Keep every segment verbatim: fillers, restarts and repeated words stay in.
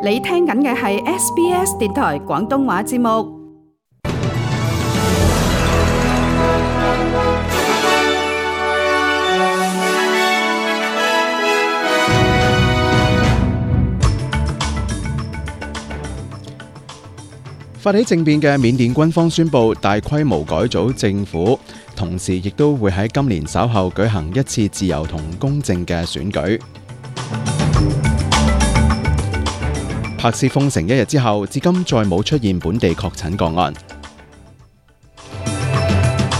你聽緊嘅係 S B S 電台廣東話節目。發起政變嘅緬甸軍方宣布大規模改組政府，同時亦都會喺今年稍後舉行一次自由同公正嘅選舉。柏斯封城一日之後，至今再冇出現本地確診個案。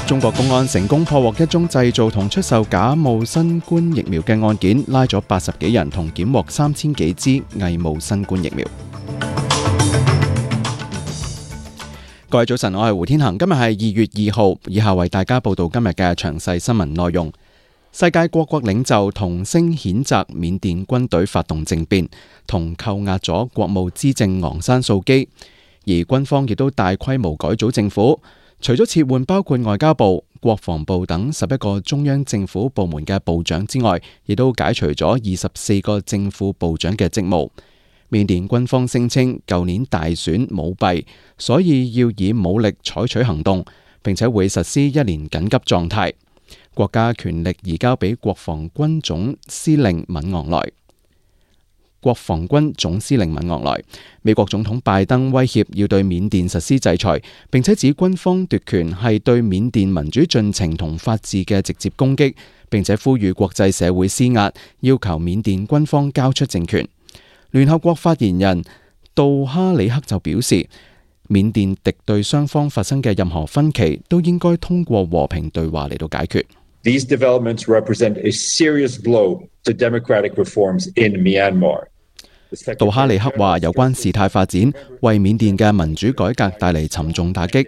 中國公安成功破獲一宗製造同出售假冒新冠疫苗嘅案件，拉咗八十幾人，同檢獲三千幾支偽冒新冠疫苗。各位早晨，我係胡天恒，今日係二月二號，以下為大家報道今日嘅詳細新聞內容。世界各國領袖同聲譴責緬甸軍隊發動政變，同扣押咗國務資政昂山素基，而軍方亦都大規模改組政府，除咗撤換包括外交部、國防部等十一個中央政府部門嘅部長之外，亦都解除咗二十四個正副部長嘅職務。緬甸軍方聲稱舊年大選舞弊，所以要以武力採取行動，並且會實施一年緊急狀態。國家權力移交俾國防軍總司令敏昂萊。國防軍總司令敏昂萊。美國總統拜登威脅要對緬甸實施制裁，並且指軍方奪權係對緬甸民主進程同法治嘅直接攻擊，並且呼籲國際社會施壓，要求緬甸軍方交出政權。聯合國發言人杜哈里克就表示，緬甸敵對雙方發生嘅任何分歧都應該通過和平對話嚟到解決。These developments represent a serious blow to democratic reforms in Myanmar. 杜哈里克話，有關事態發展為緬甸嘅民主改革帶嚟沉重打擊。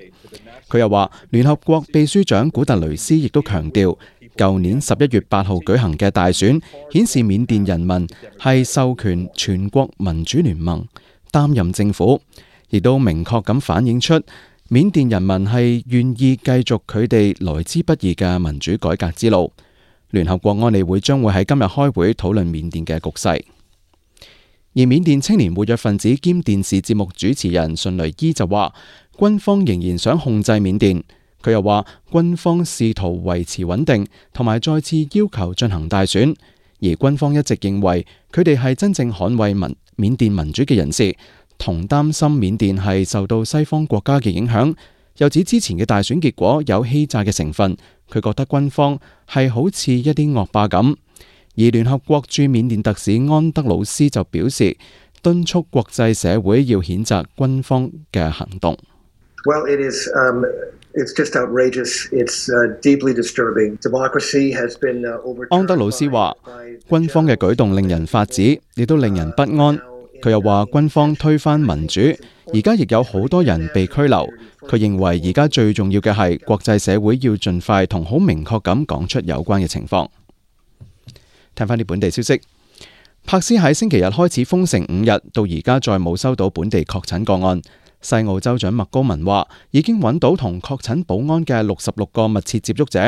佢又話，聯合國秘書長古特雷斯亦都強調，舊年十一月八號舉行嘅大選顯示緬甸人民係授權全國民主聯盟擔任政府，亦都明確咁反映出緬甸人民係願意繼續佢哋來之不易嘅民主改革之路。聯合國安理會將會喺今日開會討論緬甸嘅局勢。而緬甸青年活躍分子兼電視節目主持人順雷伊就話，軍方仍然想控制緬甸。佢又話，軍方試圖維持穩定，同埋再次要求進行大選，而軍方一直認為佢哋係真正捍衛民緬甸民主嘅人士，同擔心緬甸係受到西方國家嘅影響。又指之前嘅大選結果有欺詐嘅成分，佢覺得軍方係好似一啲惡霸咁。而聯合國駐緬甸特使安德魯斯就表示，敦促國際社會要譴責軍方嘅行動。Well, it is, um, it's just outrageous. It's, uh, deeply disturbing. Democracy has been, uh, overturned. 安德魯斯話，軍方嘅舉動令人髮指，亦都令人不安。佢又話，軍方推翻民主，而家亦有好多人被拘留。佢認為而家最重要嘅係國際社會要盡快同好明確咁講出有關嘅情況。聽翻啲本地消息，柏斯喺星期日開始封城五日，到而家再冇收到本地確診個案。西澳州長麥高文話，已經揾到同確診保安嘅六十六個密切接觸者，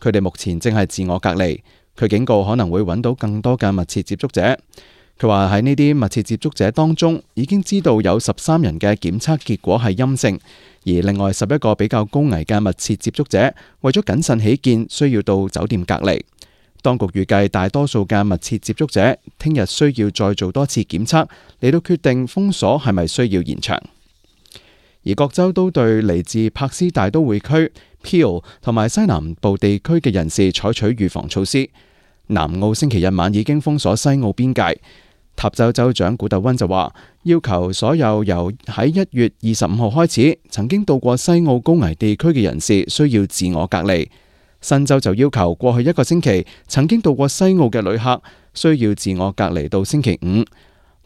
佢哋目前正係自我隔離。佢警告可能會揾到更多嘅密切接觸者。佢話喺呢啲密切接觸者當中，已經知道有十三人嘅檢測結果係陰性，而另外十一個比較高危嘅密切接觸者，為咗謹慎起見，需要到酒店隔離。當局預計大多數嘅密切接觸者聽日需要再做多次檢測，嚟到決定封鎖係咪需要延長。而各州都對嚟自柏斯大都會區、Peel 同埋西南部地區嘅人士採取預防措施。南澳星期日晚已經封鎖西澳邊界。塔州州長古特溫就話，要求所有由喺一月二十五號開始曾經到過西澳高危地區嘅人士需要自我隔離。新州就要求過去一個星期曾經到過西澳嘅旅客需要自我隔離到星期五。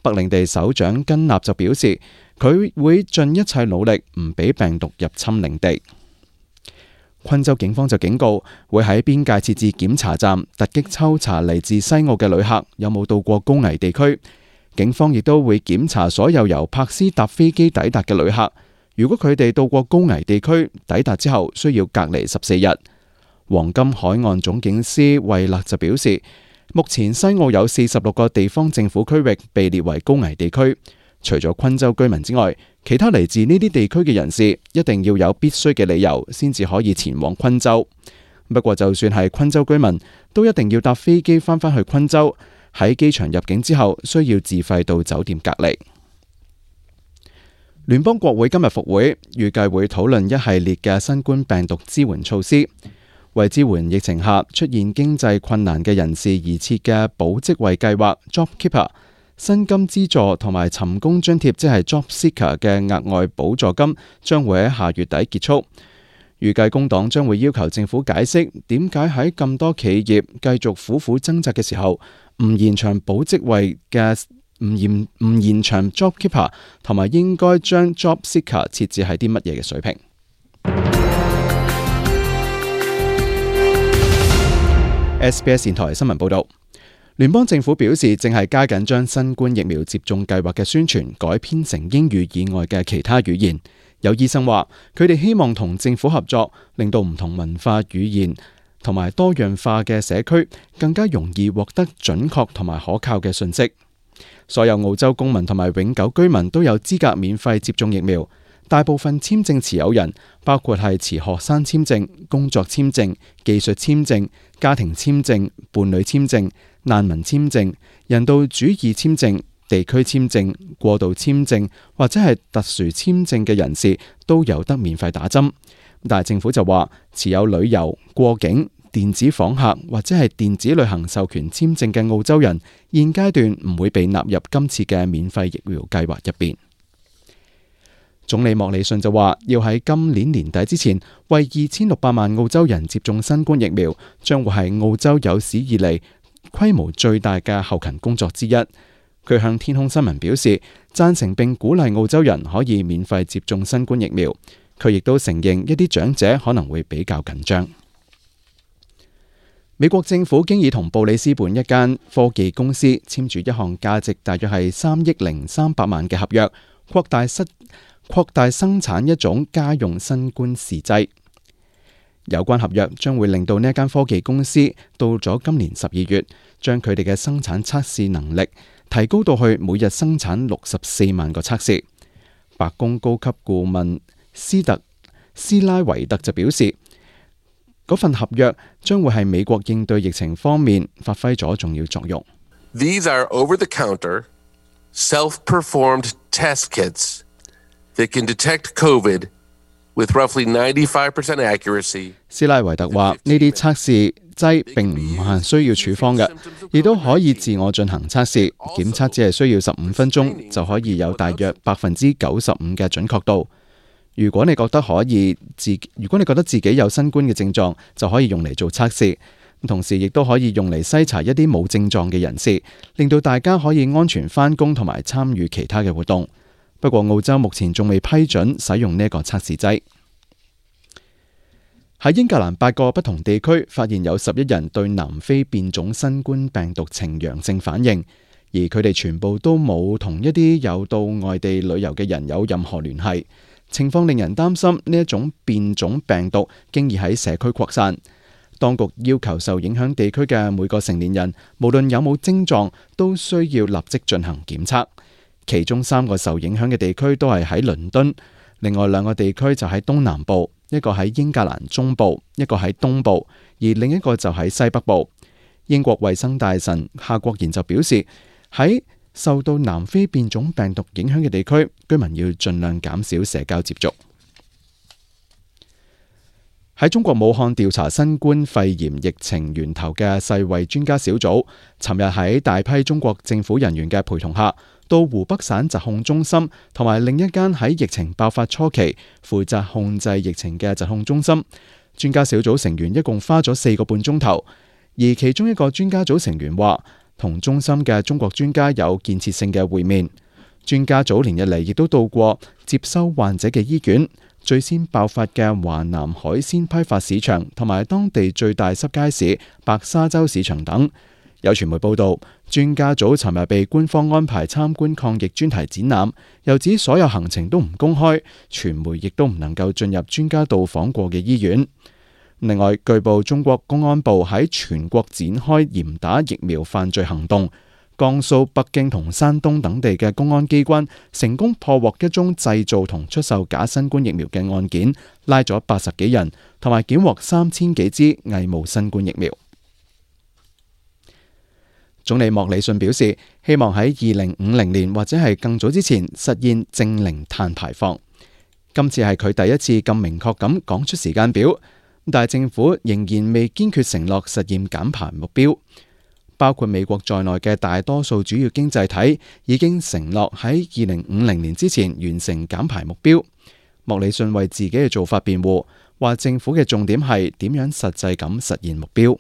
北領地首長根納就表示，佢會盡一切努力唔俾病毒入侵領地。昆州警方就警告，會喺邊界設置檢查站，突擊抽查嚟自西澳嘅旅客有冇到過高危地區。警方亦都會檢查所有由柏斯搭飛機抵達嘅旅客，如果佢哋到過高危地區，抵達之後需要隔離十四日。黃金海岸總警司惠勒就表示，目前西澳有四十六個地方政府區域被列為高危地區，除咗昆州居民之外，其他嚟自呢啲地區嘅人士一定要有必須嘅理由先至可以前往昆州。不過就算係昆州居民，都一定要搭飛機返返去昆州，喺機場入境之後需要自費到酒店隔離。聯邦國會今日復會，預計會討論一系列嘅新冠病毒支援措施，為支援疫情下出現經濟困難嘅人士而設嘅保職位計劃 JobKeeper、薪金資助同埋尋工津貼，即係 Job Seeker 嘅額外補助金，將會喺下月底結束。預計工黨將會要求政府解釋點解喺咁多企業繼續苦苦掙扎嘅時候，唔延長保職位嘅唔延唔延長 JobKeeper， 同埋應該將 Job Seeker 設置喺啲乜嘢嘅水平。S B S 電台新聞報道，聯邦政府表示正係加緊將新冠疫苗接種計劃嘅宣傳改編成英語以外嘅其他語言。有醫生話，佢哋希望同政府合作，令到唔同文化、語言同埋多樣化嘅社區更加容易獲得準確同埋可靠嘅信息。所有澳洲公民同埋永久居民都有資格免費接種疫苗。大部分簽證持有人，包括係持學生簽證、工作簽證、技術簽證、家庭簽證、伴侶簽證、難民簽證、人道主義簽證、地區簽證、過渡簽證或者係特殊簽證嘅人士都有得免費打針。但係政府就話，持有旅遊、過境、電子訪客或者係電子旅行授權簽證嘅澳洲人，現階段唔會被納入今次嘅免費疫苗計劃入邊。總理莫里遜就話，要喺今年年底之前為二千六百萬澳洲人接種新冠疫苗，將會係澳洲有史以嚟規模最大嘅後勤工作之一。佢向天空新聞表示，贊成並鼓勵澳洲人可以免費接種新冠疫苗。佢亦都承認一啲長者可能會比較緊張。美國政府經已同布里斯本一間科技公司簽署一項價值大約係三億零三百萬嘅合約，擴大失擴大生產一種家用新冠試劑。有關合約將會令到呢一間科技公司到咗今年十二月，將佢哋嘅生產測試能力提高到去每日生產六十四萬個測試。白宮高級顧問斯特斯拉維特就表示，嗰份合約將會係美國應對疫情方面發揮咗重要作用。These are over-the-counter, self-performed test kits that can detect COVID with roughly ninety-five percent accuracy. 斯拉維特話：呢啲測試劑並唔係需要處方嘅，亦都可以自我進行測試。檢測只係需要十五分鐘，就可以有大約百分之九十五嘅準確度。如果你覺得可以自，如果你覺得自己有新冠嘅症狀，就可以用嚟做測試。同時亦都可以用嚟篩查一啲冇症狀嘅人士，令到大家可以安全返工同埋參與其他嘅活動。不過澳洲目前仲未批准使用呢個測試劑。喺英格蘭八個不同地區發現有十一人對南非變種新冠病毒呈陽性反應，而佢哋全部都冇同一啲有到外地旅遊嘅人有任何聯繫。情況令人擔心呢一種變種病毒經已喺社區擴散。當局要求受影響地區嘅每個成年人，無論有冇症狀，都需要立即進行檢測。其中三個受影響嘅地區都係喺倫敦，另外兩個地區就喺東南部，一個喺英格蘭中部，一個喺東部，而另一個就喺西北部。英國衛生大臣夏國賢就表示，喺受到南非變種病毒影響嘅地區，居民要盡量減少社交接觸。喺中國武漢調查新冠肺炎疫情源頭嘅世衛專家小組，尋日喺大批中國政府人員嘅陪同下，到湖北省疾控中心同埋另一間喺疫情爆發初期負責控制疫情嘅疾控中心。專家小組成員一共花咗四個半鐘頭，而其中一個專家組成員話，同中心嘅中國專家有建設性嘅會面。專家組連日嚟亦都到過接收患者嘅醫院、最先爆發嘅華南海鮮批發市場同埋當地最大濕街市白沙洲市場等。有傳媒報道，專家組尋日被官方安排參觀抗疫專題展覽，又指所有行程都唔公開，傳媒亦都唔能夠進入專家到訪過嘅醫院。另外，據報中國公安部喺全國展開嚴打疫苗犯罪行動，江蘇、北京同山東等地嘅公安機關成功破獲一宗製造同出售假新冠疫苗嘅案件，拉咗八十幾人，同埋檢獲三千幾支偽冒新冠疫苗。總理莫里遜表示，希望喺二零五零年或者係更早之前實現淨零碳排放。今次係佢第一次咁明確咁講出時間表，但係政府仍然未堅決承諾實現減排目標。包括美國在內嘅大多數主要經濟體已經承諾喺二零五零年之前完成減排目標。莫里遜為自己嘅做法辯護，話政府嘅重點係點樣實際咁實現目標。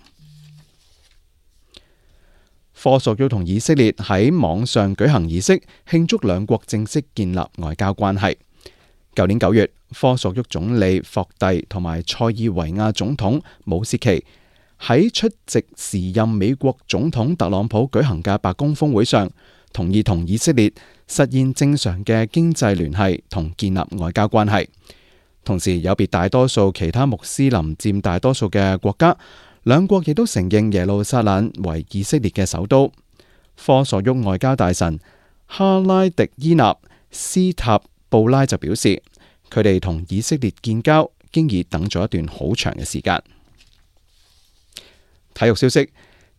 科索沃同以色列喺網上舉行儀式，慶祝兩國正式建立外交關係。舊年九月，科索沃總理霍蒂同埋塞爾維亞總統武契奇喺出席時任美國總統特朗普舉行嘅白宮峰會上，同意同以色列實現正常嘅經濟聯繫同建立外交關係。同時，有別大多數其他穆斯林佔大多數嘅國家，兩國亦都承認耶路撒冷為以色列嘅首都。科索沃外交大臣哈拉迪伊納斯塔布拉就表示，佢哋同以色列建交經已等咗一段好長嘅時間。體育消息，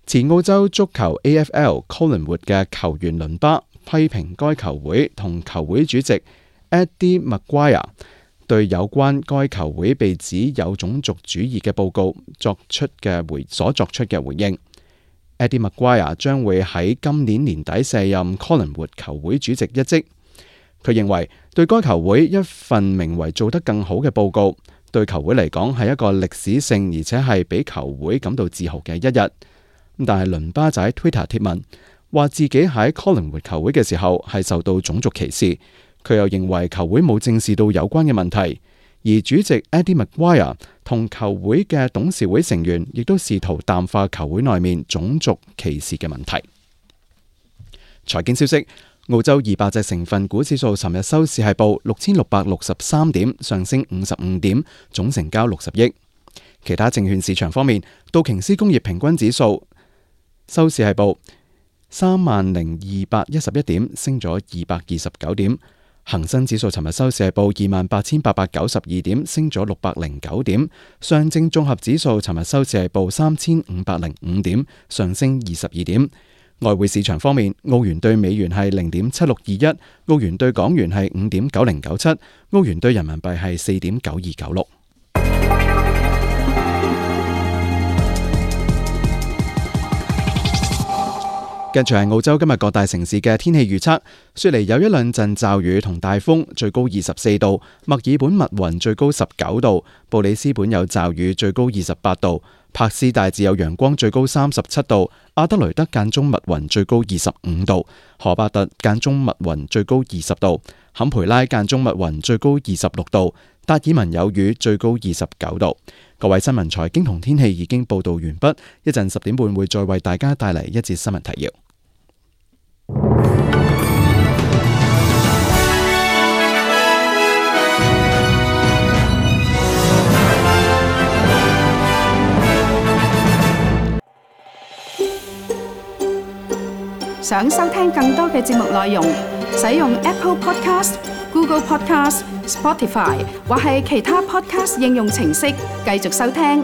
前澳洲足球 A F L Collingwood 嘅球員倫巴批評該球會同球會主席 Eddie Maguire 對有關該球會被指有種族主義嘅報告作出嘅回所作出嘅回應。Eddie Maguire 將會喺今年年底卸任 Collingwood 球會主席一職。佢認為對該球會一份名為做得更好嘅報告，對球會嚟講係一個歷史性而且係俾球會感到自豪嘅一日。但係倫巴就喺 Twitter 貼文話自己喺 Collingwood 球會嘅時候係受到種族歧視。佢又認為球會冇正視到有關嘅問題，而主席 Eddie Maguire 同球會嘅董事會成員亦都試圖淡化球會內面種族歧視嘅問題。財經消息，澳洲二百隻成分股指數尋日收市係報六千六百六十三點，上升五十五點，總成交六十億。其他證券市場方面，道瓊斯工業平均指數收市係報三萬零二百一十一點，升咗二百二十九點。恒生指數尋日收市係報二萬八千八百九十二點，升咗六百零九點。上證綜合指數尋日收市係報三千五百零五點，上升二十二點。外匯市場方面，澳元兌美元係零點七六二一，澳元兌港元係五點九零九七，澳元兌人民幣係四點九二九六。跟住係澳洲今日各大城市嘅天氣預測，雪梨有一兩陣驟雨同大風，最高二十四度；墨爾本密雲，最高十九度；布里斯本有驟雨，最高二十八度；柏斯大致有陽光，最高三十七度；阿德雷德間中密雲，最高二十五度；荷巴特間中密雲，最高二十度；坎培拉間中密雲，最高二十六度；達爾文有雨，最高二十九度。各位新聞財經同天氣已經報道完畢，一陣十點半會再為大家帶嚟一節新聞提要。想收聽更多嘅節目內容，使用 Apple Podcast、Google Podcast、Spotify 或係其他 Podcast 應用程式繼續收聽。